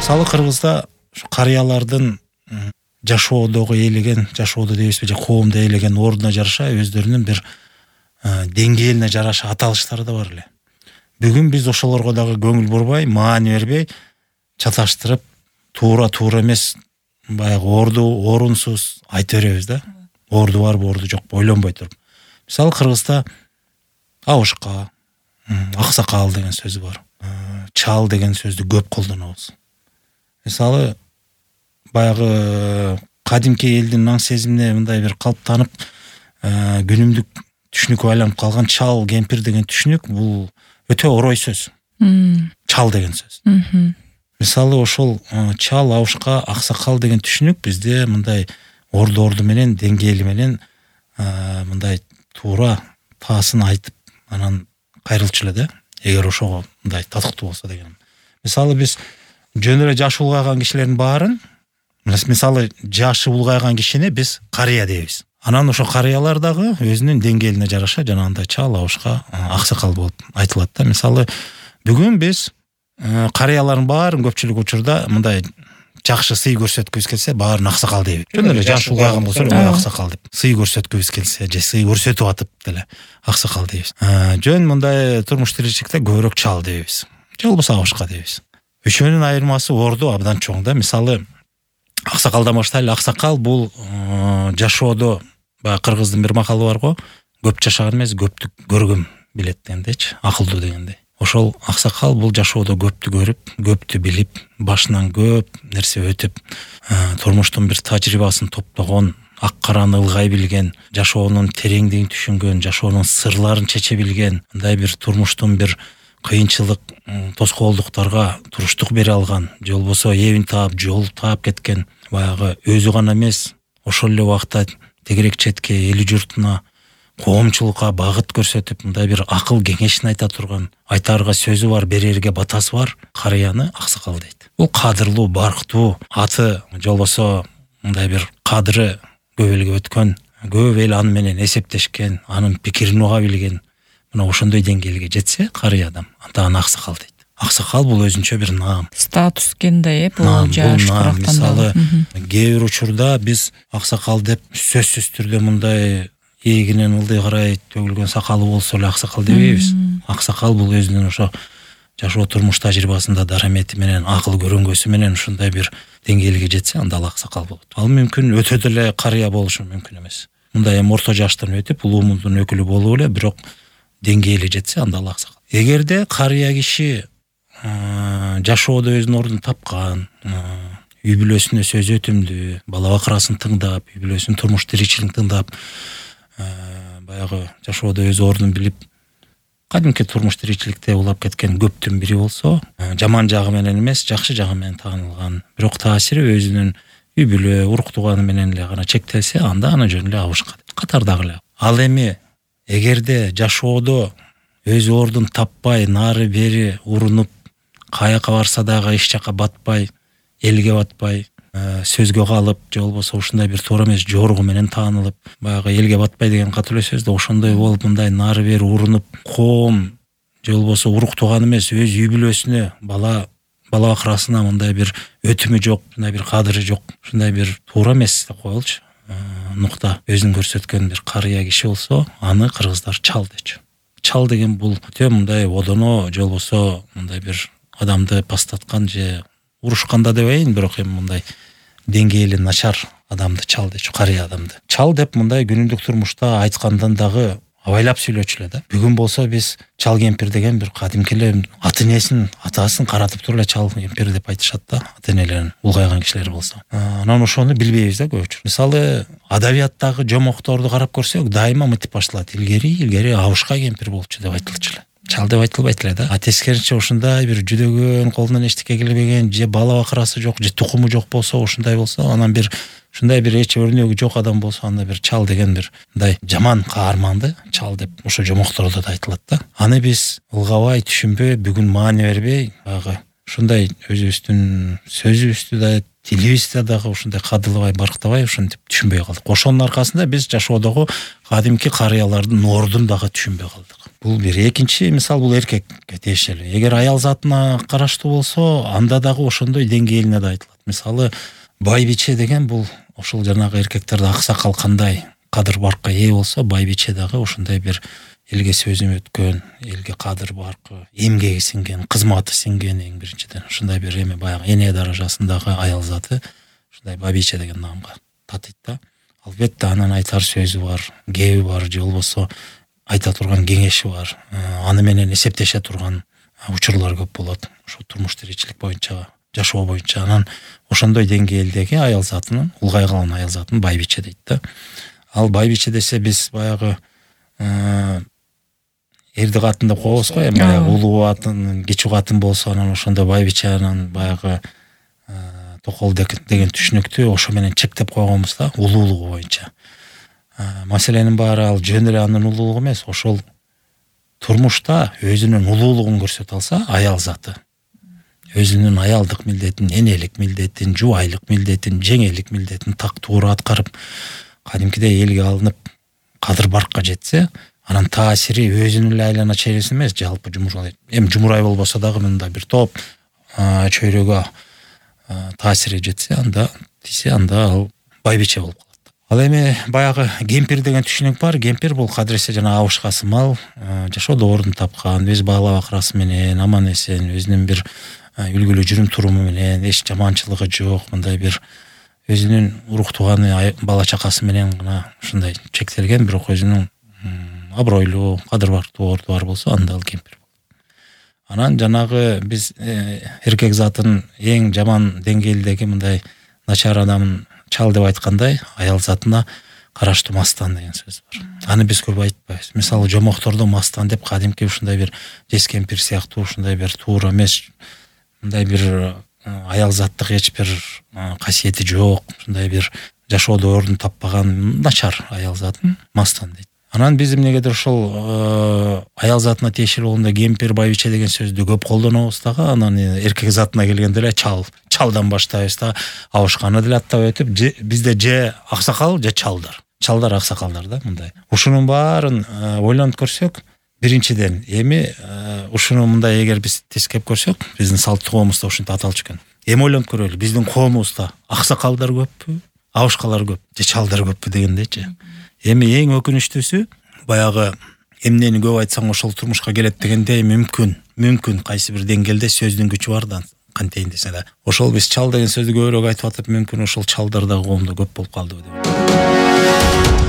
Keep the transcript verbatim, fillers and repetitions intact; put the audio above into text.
Мисалы Кыргызда ушу карыялардын жашоодогу ээлеген, жашоодо дейбизби, же коомдо ээлеген ордуна жараша өздөрүнүн бир деңгээлине жараша аталыштары да бар эле. Бүгүн биз ошолорго дагы көңүл бурбай, маани бербей, чаташтырып, туура-туура эмес, баягы орду орунсуз айта беребиз да. Орду барбы, орду жокпу ойлонбой туруп. Мисалы Кыргызда абышка, аксакал деген сөзү бар. Чал деген сөздү көп колдонобуз. Мисалы баягы кадимки элдин наң сезимине мындай бир калыптанып, күнүмдүк түшүнүккө айланып калган чал, кемпир деген түшүнүк бул өтө орой сөз. Чал деген сөз. Мисалы ошол чал, абышка, аксакал деген түшүнүк бизде мындай орду-орду менен, деңгээли менен мындай туура таасын айтып, анан кайрылчу эле да. Эгер ошого мындай татыктуу болсо деген. Мисалы биз жөн эле жашы улгайган кишилердин баарын, мисалы жашы улгайган кишини биз карыя дейбиз. Анан ошо карыялар дагы өзүнүн деңгээлине жараша жанагындай чал, абышка, аксакал болуп айтылат да. Мисалы бүгүн биз карыялардын баарын көпчүлүк учурда мындай жакшы сый көрсөткүбүз келсе, баарын аксакал дейбиз. Жөн эле жашы улгайган болсо аксакал деп. Сый көрсөткүбүз келсе, же сый көрсөтүп атып деле аксакал дейбиз. Жөн мындай турмуш тиричиликте көбүрөөк чал дейбиз. Же болбосо абышка дейбиз. Үчөөнүн айырмасы орду абдан чоң да. Мисалы аксакалдан баштайлы. Аксакал бул жашоодо, баягы кыргыздын бир макалы бар го, көп жашаган эмес, көптү көргөм билет дегендейчи, акылдуу дегендей. Ошол аксакал бул жашоодо көптү көрүп, көптү билип, башынан көп нерсе өтүп, турмуштун бир тажрыйбасын топтогон, ак караны ылгай билген, жашоонун тереңдигин түшүнгөн, жашоонун сырларын чече билген, мындай бир турмуштун бир кыйынчылык, тоскоолдуктарга туруштук бере алган, же болбосо эбин таап, жол таап кеткен, баягы өзү гана эмес, ошол эле убакта тегерек четке, эли журтуна, коомчулукка багыт көрсөтүп, мындай бир акыл кеңешин айта турган, айтаарга сөзү бар, берерге батасы бар карыяны аксакал дейт. Бул кадырлуу, барктуу, аты же болбосо мындай бир кадыры көп элге өткөн, көп эл аны менен эсептешкен, анын пикирин уга билген, мына ошондой деңгээлге жетсе карый адам, анда аны аксакал дейт. Аксакал бул өзүнчө бир наам. Статус кенде, бул жаш кырактан. Мисалы, кээ бир учурда биз аксакал деп сөзсүз түрдө мындай эгинен ылдый карай төгүлгөн сакалы болсо эле аксакал дебейбиз. Аксакал бул өзүнүн ошо жашоо турмуш тажрыйбасында дарамети менен, акыл көрөнгөсү менен ушундай бир деңгээлге жетсе, анда ал аксакал болот. Ал мүмкүн өтө деле карыя болушу мүмкүн эмес. Мындай эми орто жаштан өтүп, улуумуздун өкүлү болуп эле, бирок деңгээли жетсе, анда ал аксакал. Эгерде карыя киши жашоодо өзүнүн ордун тапкан, үй бүлөсүнө сөз өтүмдүү, бала бакырасын тыңдап, үй бүлөсүнүн турмуш тиричилигин тыңдап, баягы жашоодо өз ордун билип, кадимки турмуш тиричиликте улап кеткен көптүн бири болсо, жаман жагы менен эмес, жакшы жагы менен таанылган, бирок таасири өзүнүн үй бүлө, урук тууганы менен эле гана чектелсе, анда аны жөн эле абышка катардагы эле. Ал эми эгерде жашоодо өз ордун таппай, нары бери урунуп, каяка барса дагы эч жака батпай, элге батпай, сөзгө калып, же болбосо ушундай бир туура эмес жоругу менен таанылып, баягы элге батпай деген катуу эле сөз да, ошондой болуп, мындай нары бери урунуп, коом же болбосо урук тууган эмес, өз үй бүлөсүнө, бала бала бакырасына мындай бир өтүмү жок, мындай бир кадыры жок, ушундай бир туура эмес деп коелучу, нукта өзүн көрсөткөн бир карыя киши болсо, аны кыргыздар чал дечү. Чал деген бул өтө мындай одоно, же болбосо мындай бир адамды пастаткан же урушканда дебейин, бирок эми мындай деңгээли начар адамды чал дечү, карыя адамды. Чал деп мындай күнүмдүк турмушта айткандан дагы абайлап сүйлөчү эле да. Бүгүн болсо биз чал кемпир деген бир кадимки эле аты энесин, атасын каратып туруп эле чал кемпир деп айтышат да, ата энелерин улгайган кишилер болсо. Анан ошону билбейбиз да көбүчө. Мисалы, адабияттагы жомокторду карап көрсөк, дайыма мынтип башталат. Илгери, илгери абышка кемпир болчу деп айтылчу эле. Чал деп айтылбайт эле да. А тескерисинче ушундай бир жүдөгөн, колунан эчтеке келбеген, же бала бакырасы жок, же тукуму жок болсо, ушундай болсо, анан бир ушундай бир эч өрнөгү жок адам болсо, анда бир чал деген бир мындай жаман каарманды чал деп ошо жомоктордо да айтылат да. Аны биз ылгабай, түшүнбөй, бүгүн маани бербей, баягы ушундай өзүбүздүн сөзүбүздү да тилибизди дагы ушундай кадырлабай барктабай ушинтип түшүнбөй калдык. Ошонун аркасында биз жашоодогу кадимки карыялардын ордун дагы түшүнбөй калдык. Бул бир. Экинчи мисал бул эркекке тиешелүү. Эгер аял затына караштуу болсо, анда дагы ошондой деңгээлине да айтылат. Мисалы, байбиче деген бул ошол жанагы эркектерде аксакал кандай кадыр баркка ээ болсо, байбиче дагы ошондой бир элге сөзүм өткөн, элге кадыр баркы, эмгеги сиңген, кызматы сиңген, эң биринчиден ушундай бир эме баягы эне даражасындагы аял заты ушундай байбиче деген наамга татыйт да. Албетте анын айтар сөзү бар, кеби бар, же болбосо айта турган кеңеши бар. Аны менен эсептеше турган учурлар көп болот. Ошо турмуш тиричилик боюнча, жашоо боюнча. Анан ошондой деңгээлдеги аял затынын, улгай калган аял затын байбиче дейт да. Ал байбиче десе биз баягы эрди катын деп коебуз го, эми баягы улуу катын, кичүү катын болсо анан ошондо байбиче анан баягы токол деген түшүнүктү ошо менен чектеп койгонбуз да, улуулугу боюнча. Маселенин баары ал жөн эле анын улуулугу эмес, ошол турмушта өзүнүн улуулугун көрсөтө алса, аял заты өзүнүн аялдык милдетин, энелик милдетин, жубайлык милдетин, жеңелик милдетин так туура аткарып, кадимкидей элге алынып, кадыр баркка жетсе, анан таасири өзүнүн эле айлана чейресин эмес, жалпы жумурай. Эми жумурай болбосо дагы мында бир топ чөйрөгө таасири жетсе, анда тисе, анда ал байбиче болуп калат. Ал эми баягы кемпир деген түшүнүк бар. Кемпир бул кадыресе жана абышка сымал, жашоодо ордун тапкан, өз бала бакырасы менен аман эсен, өзүнүн бир үлгүлүү жүрүм туруму менен, эч жаманчылыгы жок, мындай бир өзүнүн урук тууганы, бала чакасы менен гана ушундай чектелген, бирок өзүнүн абройлуу, кадыр бактуу орду бар болсо, анда ал кемпир болот. Анан жанагы биз эркек затын эң жаман деңгээлдеги мындай начар адамын чал деп айткандай, аял затына караштуу мастан деген сөз бар. Аны биз көп айтпайбыз. Мисалы, жомоктордо мастан деп кадимки ушундай бир жес кемпир сыяктуу ушундай бир туура эмес, мындай бир аял заттык эч бир касиети жок, ушундай бир жашоодо ордун таппаган начар аял затын мастан дейт. Анан биз эмнегедир ошол аял затына тиешелүү болгондо кемпир, байбиче деген сөздү көп колдонобуз дагы. Анан эркек затына келгенде эле чал, чалдан баштайбыз да, абышканы деле аттап өтүп, бизде же аксакал, же чалдар. Чалдар, аксакалдар да мындай. Ушунун баарын ойлонуп көрсөк, биринчиден эми ушуну мындай эгер биз тескеп көрсөк, биздин салт коомузда ушинтип аталчу экен. Эми ойлонуп көрөлү, биздин коомубузда аксакалдар көппү, абышкалар көп, же чалдар көппү дегендейчи. Эми эң өкүнүчтүүсү, баягы эмнени көп айтсаң ошол турмушка келет дегенде мүмкүн, мүмкүн кайсы бир деңгээлде сөздүн күчү бар да, кантейин десе да. Ошол биз чал деген сөздү көбүрөөк айтып атып, мүмкүн ошол чалдар да коомдо көп болуп калдыбы деп.